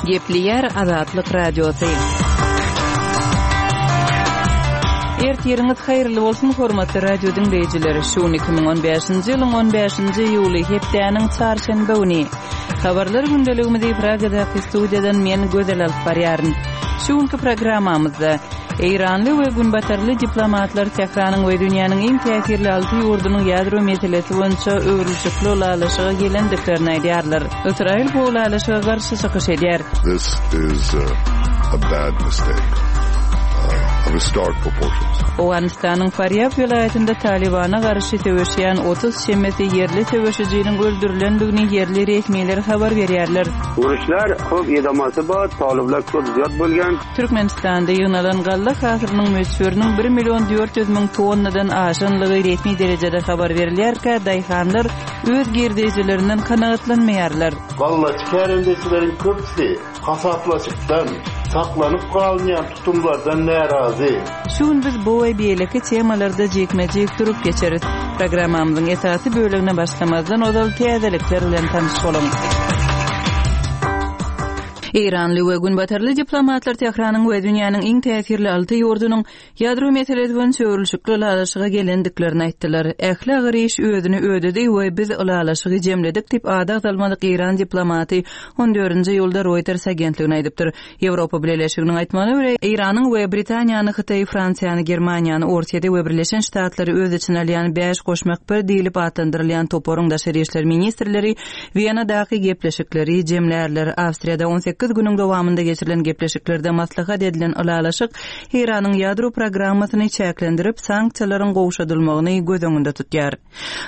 Gepleýär Azatlyk Radiosy. Ertiriňiz haýyrly bolsun, hormatly radio diňleýjiler! Şu gün 2015-nji ýylyň 15-nji iýuly, hepdäniň çarşenbe güni. Habarlar gündeligimizi Pragadaky studiýadan men Gözel alyp barýaryn. Şu günki programmamyzda Eýranly we günbatarly diplomatlar Tähranyň we dünýäniň iň täsirli alty ýurdunyň ýadro meselesi boýunça öwrülişikli ylalaşyga gelendiklerini aýdýarlar. Ysraýyl bu ylalaşyga garşy çykyş edýär. This is a bad mistake of historic proportions. Owganystanyň Farýab welaýatynda Talybana garşy söweşýän 30 çemesi ýerli söweşijiniň öldürilendigini ýerli resmiler habar berýärler. Uruşlar köp edamasy bar, talyplar köp zyýat bolgan. Türkmenistanda ýygnalan galla hasylynyň möçberiniň bir million 400 müň tonnadan aşanlygy resmi derejede habar berilýärkä, daýhanlar öz girdejilerinden kanagatlanmaýarlar. Gallaçy kärendeçileriň köpüsi hasaplaşykdan, saklanyp galynýan tutumlardan närazy. Şu gün biz bu we beýleki temalarda jikme-jik durup geçeris. Programmamyzyň esasy bölegine başlamazdan ozal täzelikler bilen tanyş boluň. Eýranly we günbatarly diplomatlar Tähranyň we dünýäniň iň täsirli alty ýurdunyň ýadro meselesi boýunça öwrülişikli ylalaşyga gelendiklerini aýtdylar. Ähli agyr iş özüni ödedi we biz ylalaşygy jemledik diýip, ady agzalmadyk eýran diplomaty on dördünji iýulda Reuters agentligine aýdypdyr. Ýewropa Bileleşiginiň aýtmagyna görä, Eýranyň we Britaniýany, Hytaýy, Fransiýany, Germaniýany, Orsýeti we Birleşen Ştatlary öz içine alýan bäş goşmak bir diýlip atlandyrylýan toparyň daşary işler ministrleri Wenadaky gepleşikleri jemlärler. Awstriýada 18 günüň dowamynda geçirilen gepleşiklerde maslahat edilen ylalaşyk Eýranyň ýadro programmasyny çäklendirip, sanksiýalaryň gowşadylmagyny göz öňünde tutýar.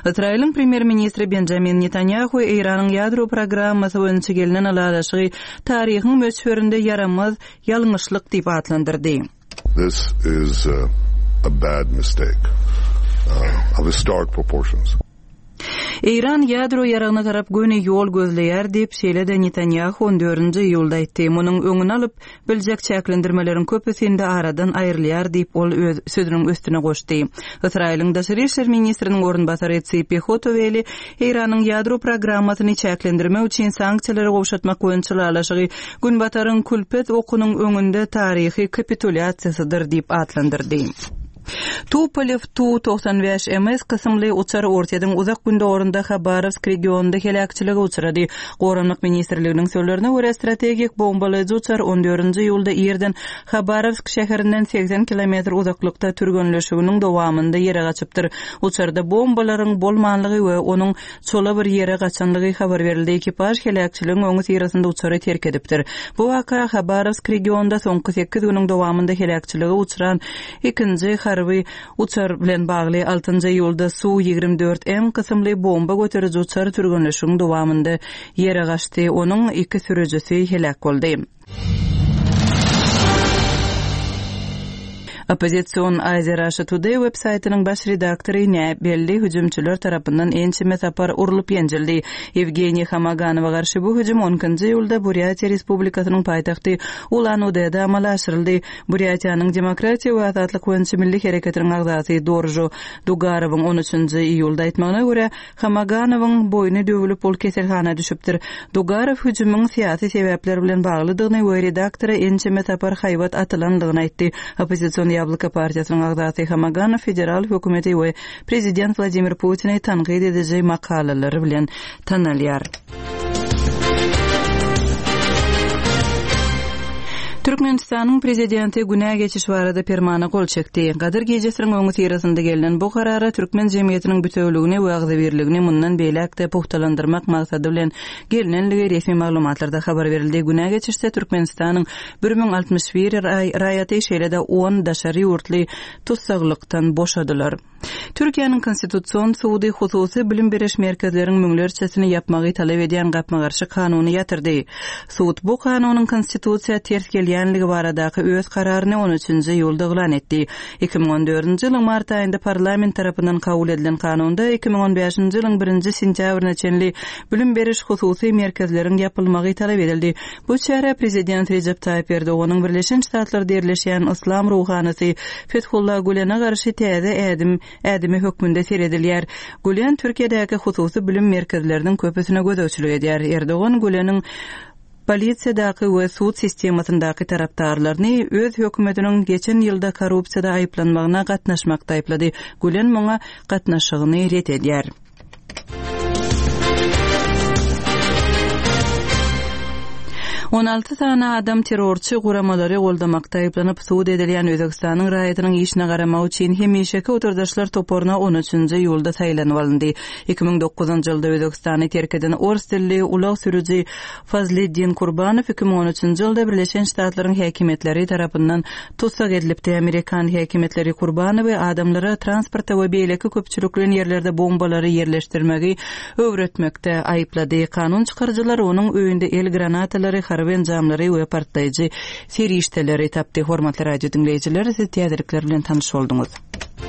Ysraýylyň premýer-ministri Benjamin Netanýahu Eýranyň ýadro programmasy boýunça gelnen ylalaşygy taryhyň möçberinde ýaramaz ýalňyşlyk diýip atlandyrdy. This is a bad mistake of historic proportions. Eýran ýadro ýaragyna tarap göni ýol gözleýär diýip, şeýle-de Netanýahu on dördünji iýulda aýtdy. Munuň öňüni alyp biljek çäklendirmeleriň köpüsi indi aradan aýrylýar diýip, ol öz sözüniň üstüne goşdy. Ysraýylyň daşary işler ministriniň orunbasary Tsipi Hotoweli Eýranyň ýadro programmasyny çäklendirmek üçin sanksiýalary gowşatmak boýunça ylalaşygy Günbataryň külpet okunyň öňünde taryhy kapitulýasiýasydyr diýip atlandyrdy. Tupolew Tu-95 MS kysymly uçar Orsýetiň uzak gündogarynda Habarowsk regionynda heläkçilige uçrady. Goranmak ministrliginiň sözlerine görä, strategik bombalaýjy uçar on dördünji iýulda irden Habarowsk şäherinden 80 kilometr uzaklykda türgenleşiginiň dowamynda ýere gaçypdyr. Uçarda bombalaryň bolmanlygy we onuň çola bir ýere gaçanlygy habar berildi. Ekipaž heläkçiligiň öňüsyrasynda uçary terk edipdir. Bu waka Habarowsk regionynda soňky sekiz günüň dowamynda heläkçilige uçran Ikinji harby uçar bilen bagly altynjy iýulda Su 24 M kysymly bomba göteriji uçar türgenleşigiň dowamynda ýere gaçdy, onuň iki sürüjisi heläk boldy. Oppozision Asia Russia Today web saýtynyň baş redaktory näbelli hüjümçiler tarapyndan ençeme sapar urlup-ýenjildi. Ýewgeniý Hamaganowa garşy bu hüjüm on ikinji iýulda Burýatiýa Respublikasynyň paýtagty Ulan-Udede amala aşyryldy. Burýatiýanyň Demokratiýa we azatlyk boýunça milli hereketiniň agzasy Doržo Dugarowyň on üçünji iýulda aýtmagyna görä, Hamaganowyň boýny döwülip, ol keselhana düşüpdir. Dugarow hüjümiň syýasy sebäpler bilen baglydygyny we redaktora ençeme sapar haýbat atylandygyny aýtdy. Oppozision Ýabloko partiýasynyň agzasy Hamaganow federal hökümeti we prezident Wladimir Putini tankyt ediji makalalary bilen tanalýar. Türkmenistanyň Prezidenti günä geçiş barada Permana gol çekdi. Gadyr gijesiniň öňüsyrasynda gelnen bu karara türkmen jemgyýetiniň bitewüligini we agzybirligini mundan beýläk-de pugtalandyrmak maksady bilen gelnenligi resmi maglumatlarda habar berildi. Günä geçişde Türkmenistanyň 1061 raýaty, şeýle-de on daşary ýurtly tussaglykdan boşadylar. Türkiýäniň Konstitusion sudy hususy bilim beriş merkezleriň müňlerçesini ýapmagy talap edýän gapma-garşy kanuny ýatyrdy. Sud bu kanunyň konstitusiýa ters gelýänligi baradaky öz kararyny on üçünji iýulda yglan etdi. 2014-nji ýylyň mart aýynda parlament tarapyndan kabul edilen kanunda 2015-nji ýylyň birinji sentýabryna çenli bilim beriş hususy merkezleriň ýapylmagy talap edildi. Bu çärä prezident Rejep Taýyp Erdoganyň Birleşen Ştatlarda ýerleşýän yslam ruhanysy Fethullah Gülene garşy täze ädim ädimi hökmünde seredilýär. Gülen Türkiýedäki hususy bilim merkezleriniň köpüsine gözegçilik edýär. Erdogan Güleniň. polisiýadaky we sud sistemasyndaky tarapdarlaryny öz hökümetiniň geçen ýylda korrupsiýada aýyplanmagyna gatnaşmakda aýyplady. Gülen muňa gatnaşygyny ret edýär. 16 sany adam terrorçy guramalary goldamakda aýyplanyp sud edilýän Özbegistanyň raýatynyň işine garamak üçin hemişeki oturdaşlar toparyna on üçünji iýulda saýlanyp alyndy. 2009-njy ýylda Özbegistany terk eden ors dilli ulag sürüji Fazliddin Kurbanow 2013-nji ýylda Birleşen Ştatlaryň häkimiýetleri tarapyndan Tussag edilipdi. Amerikan häkimiýetleri Kurbanowy adamlara transportda we beýleki köpçülikleýin ýerlerde bombalary ýerleşdirmegi öwretmekde aýyplady. Kanun çykaryjylar onuň öýünde el granatalary, harby enjamlary we partlaýjy serişdeleri tapdy. Hormatly radio diňleýjiler, siz täzelikler bilen tanyş bolduňyz.